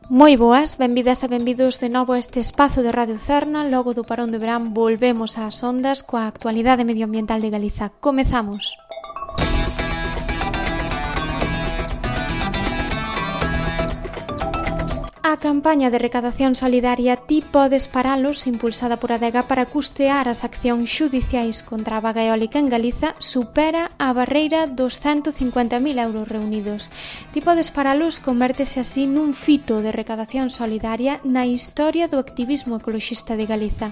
Moi boas, benvidas e benvidos de novo a este espazo de Radio Cerna. Logo do parón de verán volvemos ás ondas coa actualidade medioambiental de Galiza. Comezamos. A campaña de recadación solidaria Ti podes paralos, impulsada por Adega para custear as accións xudiciais contra a vaga eólica en Galiza, supera a barreira dos 150.000 euros reunidos. Ti podes paralos convértese así nun fito de recadación solidaria na historia do activismo ecoloxista de Galiza.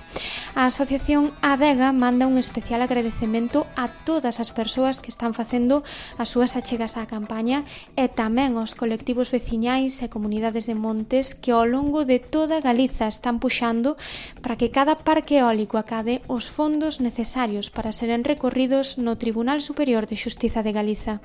A asociación Adega manda un especial agradecemento a todas as persoas que están facendo as súas achegas á campaña e tamén aos colectivos veciñais e comunidades de montes que ao longo de toda Galiza están puxando para que cada parque eólico acade os fondos necesarios para seren recorridos no Tribunal Superior de Xustiza de Galiza.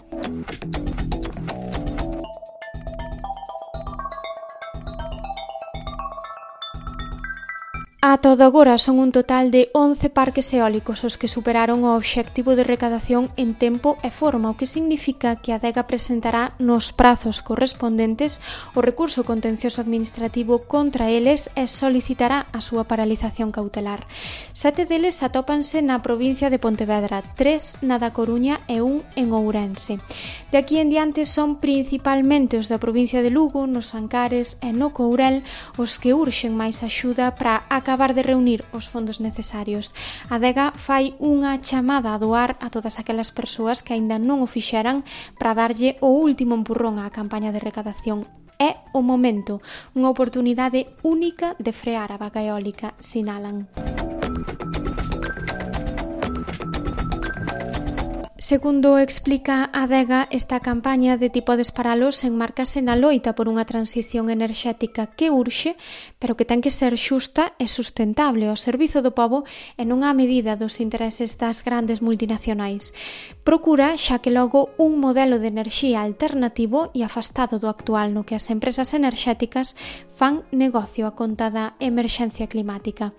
A todo agora son un total de 11 parques eólicos os que superaron o obxectivo de recadación en tempo e forma, o que significa que a Adega presentará nos prazos correspondentes o recurso contencioso administrativo contra eles e solicitará a súa paralización cautelar. 7 deles atópanse na provincia de Pontevedra, 3 na da Coruña e 1 en Ourense. De aquí en diante son principalmente os da provincia de Lugo, nos Ancares e no Courel os que urxen máis axuda para acabar de reunir os fondos necesarios. A Adega fai unha chamada a doar a todas aquelas persoas que aínda non o fixeran para darlle o último empurrón á campaña de recadación. É o momento, unha oportunidade única de frear a vaga eólica, sinalan. Segundo explica Adega, esta campaña de Ti podes paralos enmárcase na loita por unha transición enerxética que urxe, pero que ten que ser xusta e sustentable ao servizo do pobo e non á medida dos intereses das grandes multinacionais. Procura, xa que logo, un modelo de enerxía alternativo e afastado do actual no que as empresas enerxéticas fan negocio a conta da emerxencia climática.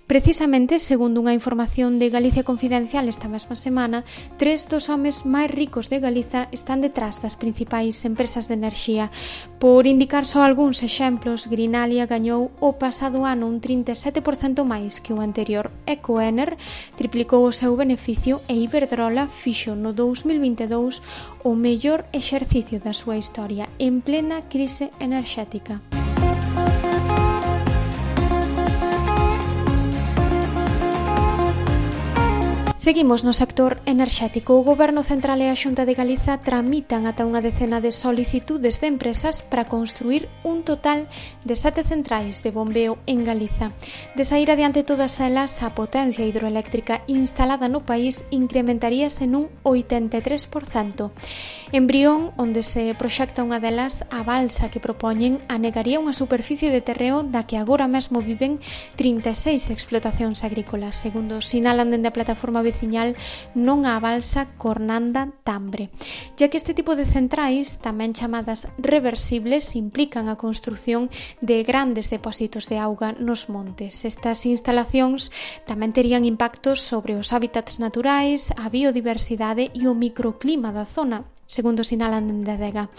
Precisamente, segundo unha información de Galicia Confidencial esta mesma semana, 3 dos homes máis ricos de Galiza están detrás das principais empresas de enerxía. Por indicar só algúns exemplos, Greenalia gañou o pasado ano un 37% máis que o anterior. Ecoener triplicou o seu beneficio e Iberdrola fixo no 2022 o mellor exercicio da súa historia en plena crise enerxética. Seguimos no sector enerxético. O Goberno Central e a Xunta de Galiza tramitan ata unha decena de solicitudes de empresas para construir un total de 7 centrais de bombeo en Galiza. De saír adiante todas elas, a potencia hidroeléctrica instalada no país incrementaríase nun 83%. En Brión, onde se proxecta unha delas, a balsa que propoñen anegaría unha superficie de terreo da que agora mesmo viven 36 explotacións agrícolas, segundo sinalan dende a plataforma veciñal non á balsa Cornanda-Tambre, ya que este tipo de centrais, tamén chamadas reversibles, implican a construción de grandes depósitos de auga nos montes. Estas instalacións tamén terían impactos sobre os hábitats naturais, a biodiversidade e o microclima da zona, segundo sinalan dende Adega.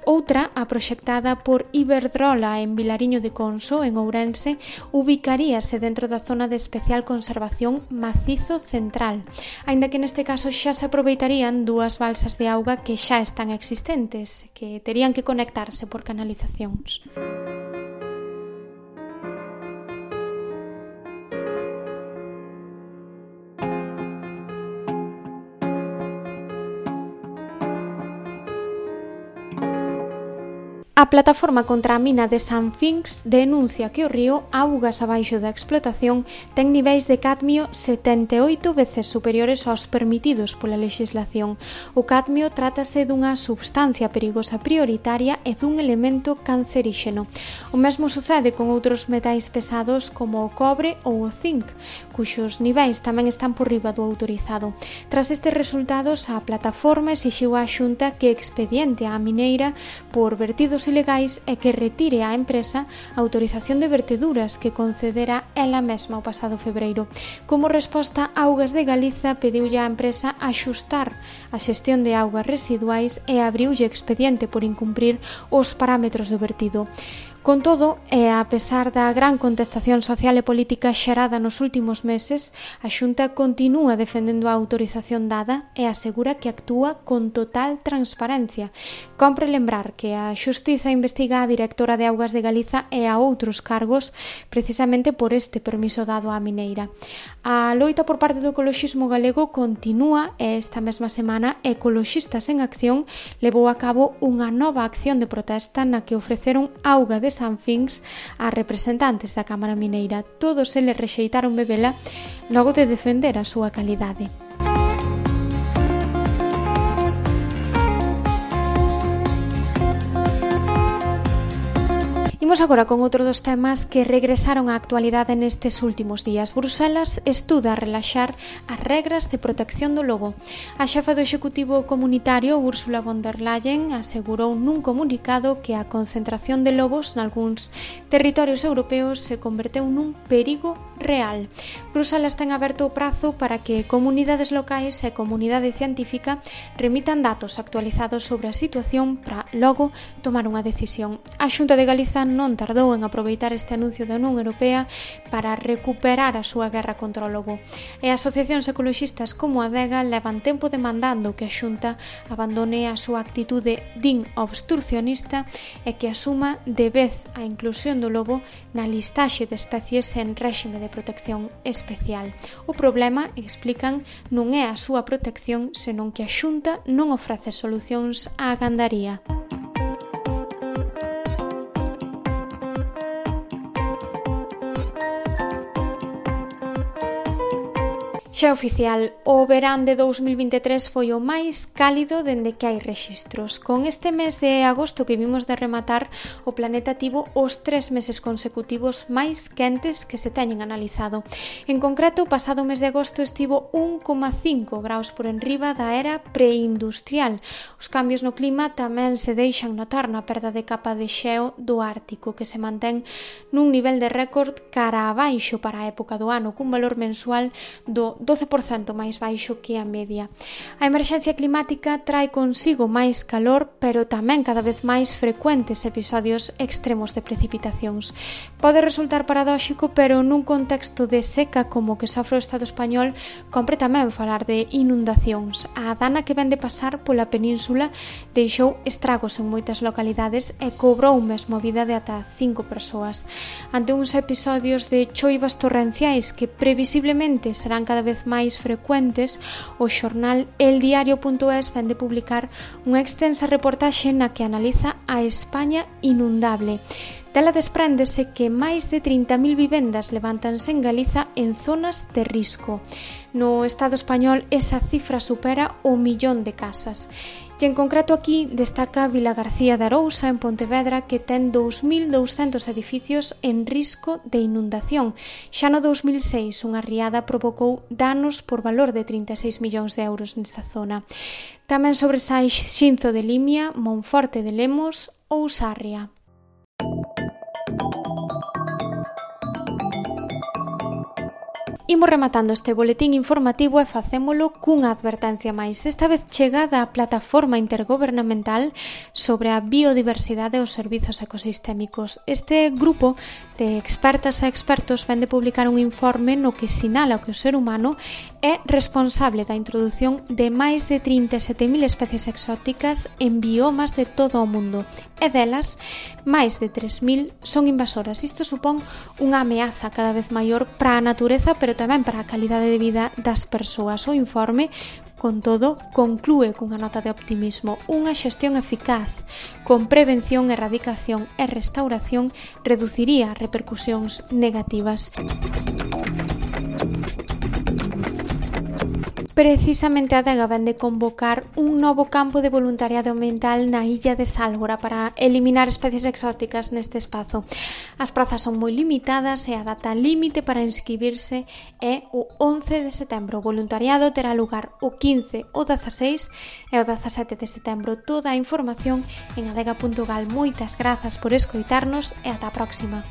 Outra, a proxectada por Iberdrola en Vilariño de Conso, en Ourense, ubicaríase dentro da zona de especial conservación Macizo Central, aínda que neste caso xa se aproveitarían 2 balsas de auga que xa están existentes, que terían que conectarse por canalizacións. A plataforma contra a mina de San Finx denuncia que o río, augas abaixo da explotación, ten niveis de cadmio 78 veces superiores aos permitidos pola lexislación. O cadmio trátase dunha substancia perigosa prioritaria e dun elemento canceríxeno. O mesmo sucede con outros metais pesados como o cobre ou o zinc, cuxos niveis tamén están por riba do autorizado. Tras estes resultados, a plataforma exixiu á Xunta que expediente á mineira por vertidos ilegais e que retire á empresa a autorización de verteduras que concedera ela mesma o pasado febreiro. Como resposta, Augas de Galiza pediulle á empresa axustar a xestión de augas residuais e abriulle expediente por incumprir os parámetros do vertido. Con todo, e a pesar da gran contestación social e política xerada nos últimos meses, a Xunta continúa defendendo a autorización dada e asegura que actúa con total transparencia. Compre lembrar que a Xustiza investiga a directora de Augas de Galiza e a outros cargos precisamente por este permiso dado á mineira. A loita por parte do ecoloxismo galego continúa e esta mesma semana Ecoloxistas en Acción levou a cabo unha nova acción de protesta na que ofreceron auga de Sanfins a representantes da Cámara Mineira. Todos eles rexeitaron bebela logo de defender a súa calidade. Imos agora con outro dos temas que regresaron á actualidade nestes últimos días. Bruselas estuda relaxar as regras de protección do lobo. A xefa do Executivo Comunitario, Ursula von der Leyen, asegurou nun comunicado que a concentración de lobos nalgúns territorios europeos se converteu nun perigo real. Bruselas ten aberto o prazo para que comunidades locais e comunidade científica remitan datos actualizados sobre a situación para logo tomar unha decisión. A Xunta de Galiza non tardou en aproveitar este anuncio da Unión Europea para recuperar a súa guerra contra o lobo. E asociacións ecoloxistas como a DEGA levan tempo demandando que a Xunta abandone a súa actitude din obstrucionista e que asuma de vez a inclusión do lobo na listaxe de especies en réxime de protección especial. O problema, explican, non é a súa protección, senón que a Xunta non ofrece solucións á gandaría. Xa oficial, o verán de 2023 foi o máis cálido dende que hai rexistros. Con este mes de agosto que vimos de rematar, o planeta tivo os 3 meses consecutivos máis quentes que se teñen analizado. En concreto, o pasado mes de agosto estivo 1,5 graus por enriba da era preindustrial. Os cambios no clima tamén se deixan notar na perda de capa de xeo do Ártico, que se mantén nun nivel de récord cara abaixo para a época do ano, cun valor mensual do 12% máis baixo que a media. A emerxencia climática trae consigo máis calor, pero tamén cada vez máis frecuentes episodios extremos de precipitacións. Pode resultar paradóxico, pero nun contexto de seca como que sofre o Estado español, compre tamén falar de inundacións. A dana que vén de pasar pola península deixou estragos en moitas localidades e cobrou mesmo a vida de ata 5 persoas. Ante uns episodios de choivas torrenciais que previsiblemente serán cada vez máis frecuentes, o xornal eldiario.es vén de publicar unha extensa reportaxe na que analiza a España inundable. Dela despréndese que máis de 30.000 vivendas levántanse en Galiza en zonas de risco. No Estado español esa cifra supera o 1.000.000 de casas. E en concreto aquí destaca Vilagarcía de Arousa, en Pontevedra, que ten 2.200 edificios en risco de inundación. Xa no 2006, unha riada provocou danos por valor de 36 millóns de euros nesta zona. Tamén sobresai Xinzo de Limia, Monforte de Lemos ou Sarria. Imos rematando este boletín informativo e facémolo cunha advertencia máis. Esta vez chegada a plataforma intergobernamental sobre a biodiversidade e os servizos ecosistémicos. Este grupo de expertas e expertos vén de publicar un informe no que sinala que o ser humano é responsable da introdución de máis de 37.000 especies exóticas en biomas de todo o mundo, e delas, máis de 3.000 son invasoras. Isto supón unha ameaza cada vez maior para a natureza, pero tamén para a calidade de vida das persoas. O informe, con todo, conclúe cunha nota de optimismo. Unha xestión eficaz, con prevención, erradicación e restauración, reduciría repercusións negativas. Precisamente a DEGA vén de convocar un novo campo de voluntariado ambiental na illa de Sálvora para eliminar especies exóticas neste espazo. As prazas son moi limitadas e a data límite para inscribirse é o 11 de setembro. O voluntariado terá lugar o 15, o 16 e o 17 de setembro. Toda a información en adega.gal. Moitas grazas por escoitarnos e ata a próxima.